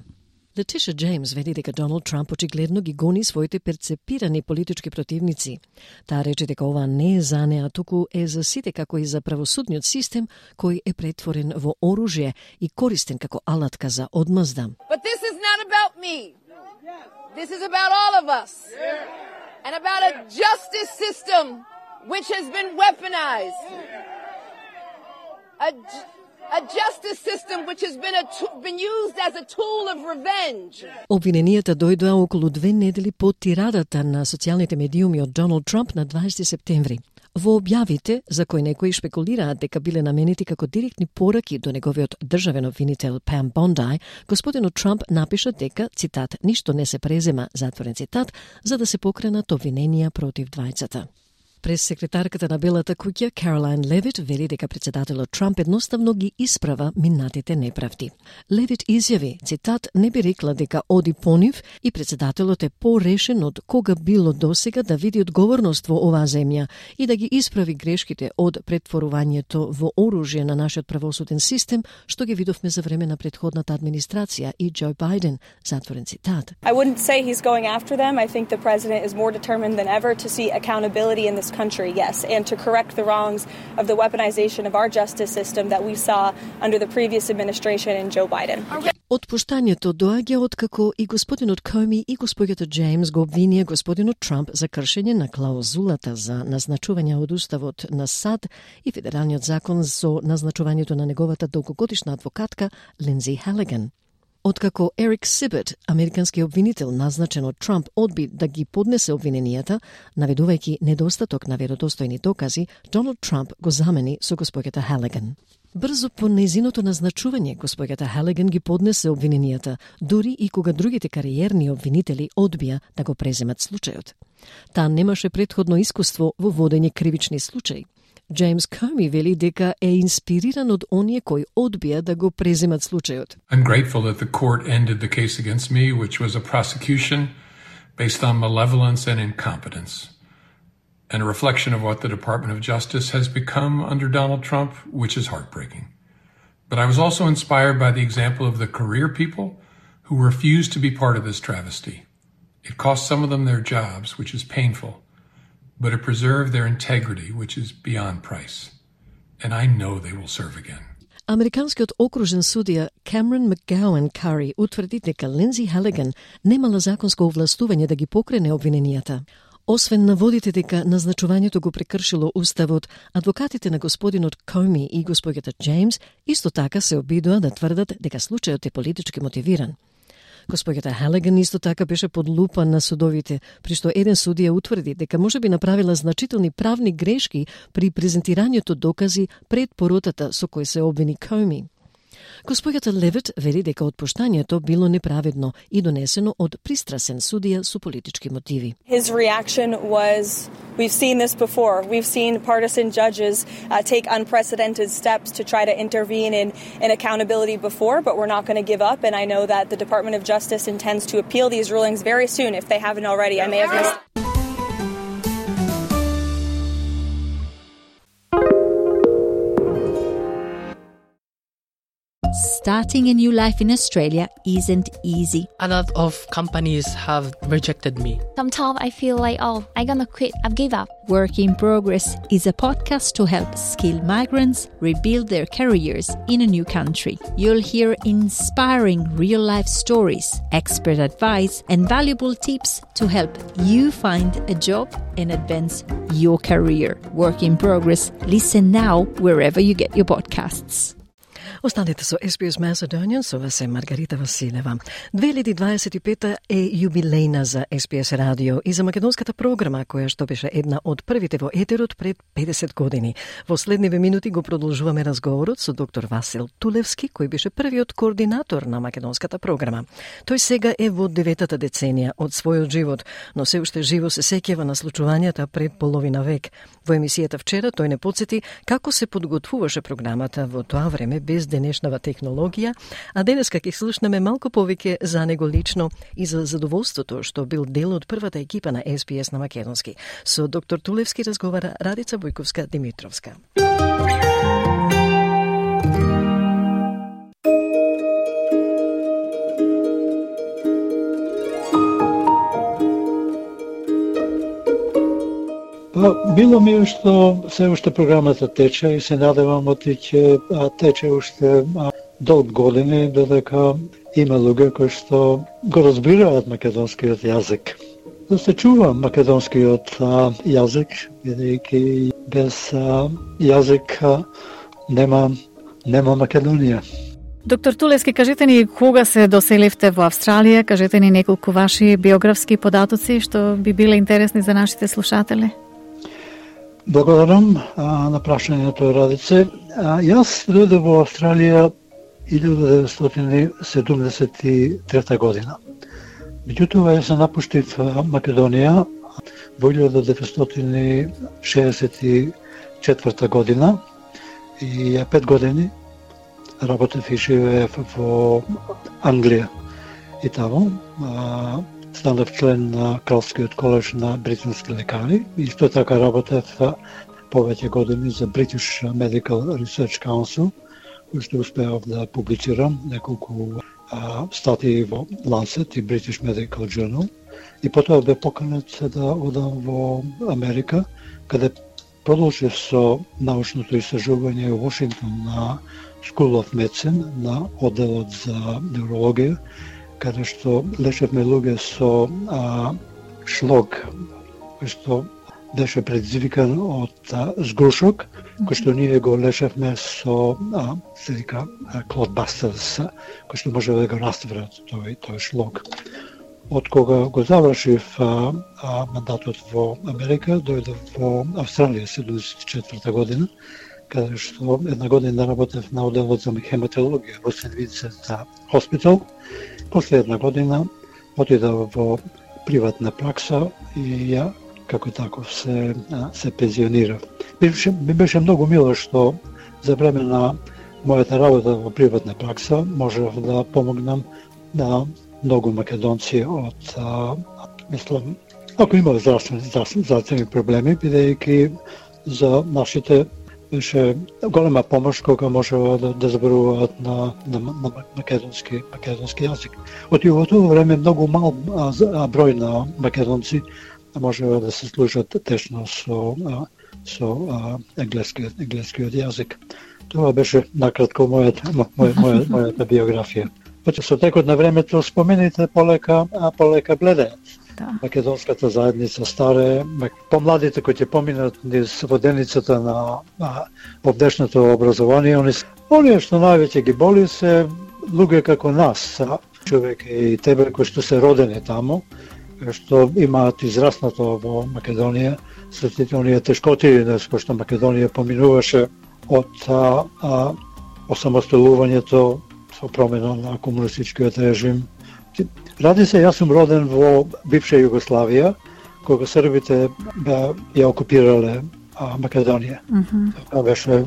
Летиша Джеймс вели дека Доналд Трамп очигледно ги гони своите перцепирани политички противници. Таа рече дека ова не е за неа, туку е за сите, како и за правосудниот систем кој е претворен во оружје и користен како алатка за одмазда. But this is not about me. This is about all of us. And about a justice system which has been weaponized. A justice system which has been used as a tool of revenge. Обвиненијата дојдоа околу 2 недели по тирадата на социјалните медиуми од Доналд Трамп на 20 септември. Во објавите, за кои некои шпекулираат дека биле наменети како директни пораки до неговиот државен обвинител Пам Бондај, господинот Трамп напиша дека, цитат, ништо не се презема, затворен цитат, за да се покренат обвиненија против двајцата. Прес-секретарката на Белата куќа, Каролайн Левит, вели дека председателот Трамп едноставно ги исправа минатите неправди. Левит изјави, цитат, не би рекла дека оди по нив и председателот е порешен од кога било досега да види одговорност во оваа земја и да ги исправи грешките од претворувањето во оружје на нашиот правосуден систем, што ги видовме за време на претходната администрација и Џо Бајден, затворен цитат. I wouldn't say he's going after them. I think the president is more determined than ever to see accountability in this country, yes, and to correct the wrongs of the weaponization of our justice system that we saw under the previous administration and Joe Biden. Отпуштањето доаѓа откако и господинот Коми и господјата Джеймс го обвинија господинот Трамп за кршење на клаузулата за назначување од уставот на САД и федералниот закон со назначувањето на неговата долгогодишна адвокатка Линдзи Халиган. Откако Ерик Сибет, американски обвинител назначен од Трамп, одби да ги поднесе обвиненијата, наведувајќи недостаток на веродостојни докази, Доналд Трамп го замени со господјата Халиган. Брзо по нејзиното назначување, господјата Халиган ги поднесе обвиненијата, дури и кога другите кариерни обвинители одбија да го преземат случајот. Таа немаше претходно искуство во водење кривични случаи. Джеймс Коми вели дека е инспириран од оние кои одбија да го преземат случајот. I'm grateful that the court ended the case against me, which was a prosecution based on malevolence and incompetence, and a reflection of what the Department of Justice has become under Donald Trump, which is heartbreaking. But I was also inspired by the example of the career people who refused to be part of this travesty. It cost some of them their jobs, which is painful, but it preserved their integrity, which is beyond price. And I know they will serve again. Американскиот окружен судија Камерон Макгауен Кари утврди дека Линдзи Халиган немала законско овластување да ги покрене обвиненијата. Освен наводите дека назначувањето го прекршило уставот, адвокатите на господинот Коми и господјата Джеймс исто така се обидоа да тврдат дека случајот е политички мотивиран. Господјата Халиган исто така беше под лупа на судовите, при што еден судија утврди дека може би направила значителни правни грешки при презентирањето докази пред поротата со кој се обвини Коми. Господјата Левит вели дека отпуштањето било неправедно и донесено од пристрасен судија со политички мотиви. His reaction was, we've seen this before. We've seen partisan judges take unprecedented steps to try to intervene in accountability before, but we're not going to give up. And I know that the Department of Justice intends to appeal these rulings very soon if they haven't already. I may have missed. Starting a new life in Australia isn't easy. A lot of companies have rejected me. Sometimes I feel like, I'm gonna quit, I've give up. Work in Progress is a podcast to help skilled migrants rebuild their careers in a new country. You'll hear inspiring real-life stories, expert advice, and valuable tips to help you find a job and advance your career. Work in Progress. Listen now wherever you get your podcasts. Останете со SBS Macedonian, со вас е Маргарита Василева. 2025 е јубилејна за SBS радио и за македонската програма, која што беше една од првите во етерот пред 50 години. Во следниве минути го продолжуваме разговорот со доктор Васил Тулевски, кој беше првиот координатор на македонската програма. Тој сега е во 9-та деценија од својот живот, но се уште живо се сеќава на случувањата пред половина век. Во емисијата вчера тој не подсети како се подготвуваше програмата во тоа време без денешнава технологија, а денеска ќе слушнеме малку повеќе за него лично и за задоволството што бил дел од првата екипа на SBS на македонски. Со доктор Тулевски разговара Радица Бојковска-Димитровска. Било ми е што се уште програмата тече и се надевам оти ќе тече уште долг години, додека има луѓе кои што го разбираат македонскиот јазик. Да се чува македонскиот јазик, бидејќи без јазик нема Македонија. Доктор Тулевски, кажете ни кога се доселивте во Австралија, кажете ни неколку ваши биографски податоци што би биле интересни за нашите слушатели. Благодарам на прашањето, Радице. Јас дојдов во Австралија 1973 година. Меѓутоа, јас се напуштив Македонија во 1964 година и 5 години работев и живеев во Англија. И таму станав член на Кралскиот колеж на британски лекари и исто така работев повеќе години за British Medical Research Council, кој што успеав да публицирам неколку статии во Lancet и British Medical Journal. И потоа бе поканет да одам во Америка, каде продолжив со научното истражување во Вашингтон на School of Medicine, на одделот за неврологија, каде што лечевме луѓе со шлог, кој што беше предизвикан од згрушок, кој што ние го лечевме со се вика clotbusters, кој што може да го растворат тој шлог. Од кога го завршив мандатот во Америка, дојдов во Австралија 74 година, каде што една година работев на одделот за хематологија во Сент Винсент Хоспитал. После една година отидов во приватна пракса и ја како таков се пензионирав. Ми беше многу мило што за време на мојата работа во приватна пракса можев да помогнам на многу македонци од мислам, ако имаат здравствени проблеми, бидејќи за нашите беше голема помош кога можева да зборуваат на македонски јазик. Оти во тоа време многу мал број на македонци можева да се служат тешно со англискиот јазик. Тоа беше накратко мојата биографија. Со текот на времето спомените полека бледеат. Македонската заедница старе, помладите кои ќе поминат низ воденицата на овдешното образование, оние што највеќе ги боли се луѓе како нас, човек и тебе кои што се родени таму, што имаат израснато во Македонија, сите оние тешкоти кои што Македонија поминуваше од осамосталувањето со промена на комунистичкиот режим. Ради се, јас сум роден во бивша Југославија, кога србите ја окупирале Македонија. Тоа беше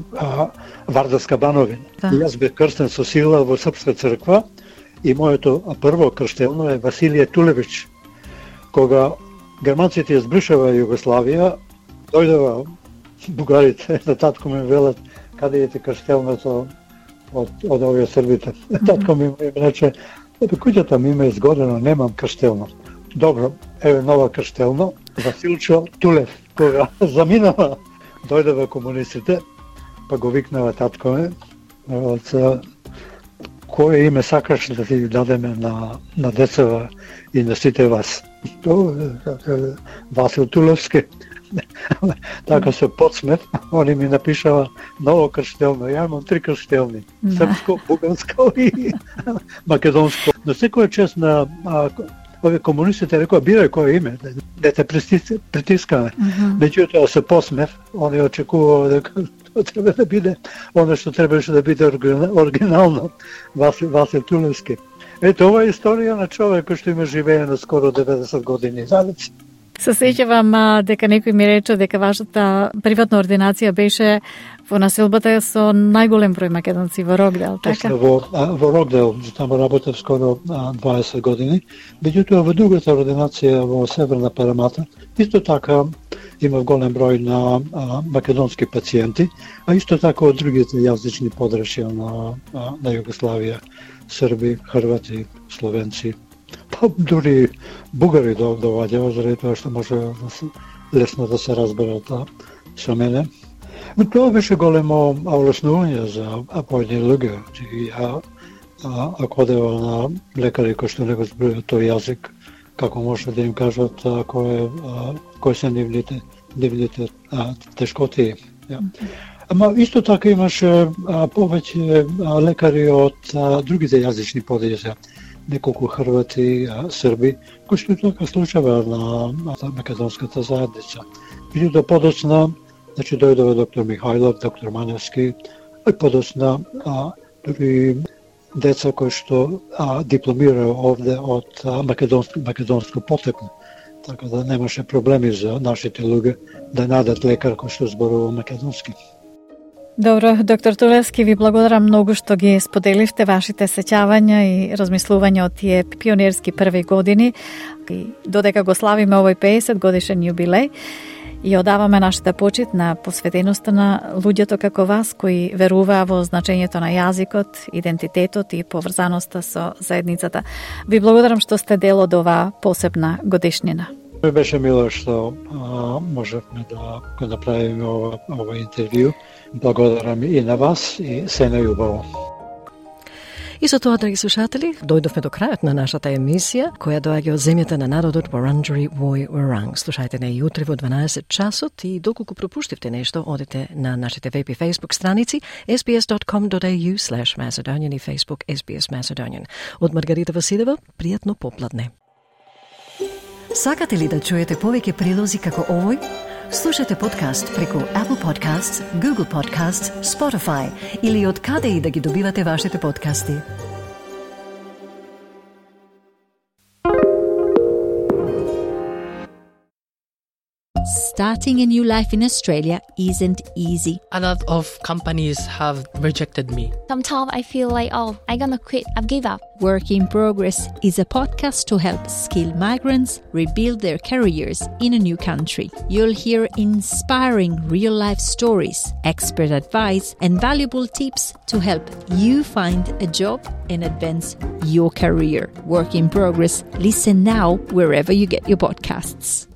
Вардарска бановина. Јас бев крстен со сила во Српска црква и моето прво крштелно е Василije Тулевич. Кога германците ја збришава Југославија, дојдова бугарите на татко ми велат каде ете крштелното од овие србите. Татко ми рече, куќата ми има изгодено, немам крштелно. Добро, еве нова крштелно, Василчо Тулев. Кога заминава, дојдева комунистите, па го викнава татко ме, кое име сакаш да ти дадеме на децава и на сите вас? Васил Тулевски. Така се подсмев, они ми напишава ново крштелно. Ја имам 3 крштелни. Српско, буганско и македонско. На секоја чест на овие комунистите рекоа бирај кое име, да те притискаме. Меѓутоа се посмев, они очекуваа дека тоа треба да биде оно што требаше да биде оригинално, Васил Тулевски. Ето ова е историја на човек кој што има живее на скоро 90 години. Се сеќавам дека некој ми рече дека вашата приватна ординација беше во населбата со најголем број македонци во Рокдел, така? Во Рокдел, таму работев скоро 20 години. Меѓутоа во другата ординација во Северна Парамата, исто така имав голем број на македонски пациенти, а исто така од другите јазични подрашја на Југославија, Срби, Хрвати, Словенци, па дури бугари доваѓаат, заради тоа што може лесно да се разберат со мене. Тоа беше големо олеснување за поедини луѓе. Ако одева на лекари кои што не го зборуваат тој јазик, како може да им кажат кои се нивните тешкоти. Ама исто така имаше повеќе лекари од другите јазични подрашја, неколку Хрвати, Срби, кои што така случава на македонската заедница. Меѓутоа подоцна, значи дојдова доктор Михајлов, доктор Маневски, и подоцна дури деца кои што дипломираа овде од македонско потекло. Така да немаше проблеми за нашите луѓе да најдат лекар кој што зборува македонски. Добро, доктор Тулевски, ви благодарам многу што ги споделивте вашите сеќавања и размислувања од тие пионерски први години. И додека го славиме овој 50 годишен јубилеј, и одаваме нашата почит на посветеноста на луѓето како вас кои веруваа во значењето на јазикот, идентитетот и поврзаноста со заедницата. Ви благодарам што сте дел од оваа посебна годишнина. Беше мило што можевме да го направиме ова интервју. Благодарам и на вас и се најубаво. И со тоа, драги слушатели, дојдовме до крајот на нашата емисија, која доаѓа од земјата на народот Wurundjeri Woi Wurrung. Слушајте не јутре во 12 часот и доколку пропуштивте нешто, одете на нашите веб и Facebook страници sbs.com.au/Macedonian и Facebook SBS Macedonian. Од Маргарита Василева, пријатно попладне. Сакате ли да чуете повеќе прилози како овој? Слушате подкаст преку Apple Podcasts, Google Podcasts, Spotify или од каде и да ги добивате вашите подкасти. Starting a new life in Australia isn't easy. A lot of companies have rejected me. Sometimes I feel like, I'm gonna quit, I've give up. Work in Progress is a podcast to help skilled migrants rebuild their careers in a new country. You'll hear inspiring real-life stories, expert advice, and valuable tips to help you find a job and advance your career. Work in Progress. Listen now wherever you get your podcasts.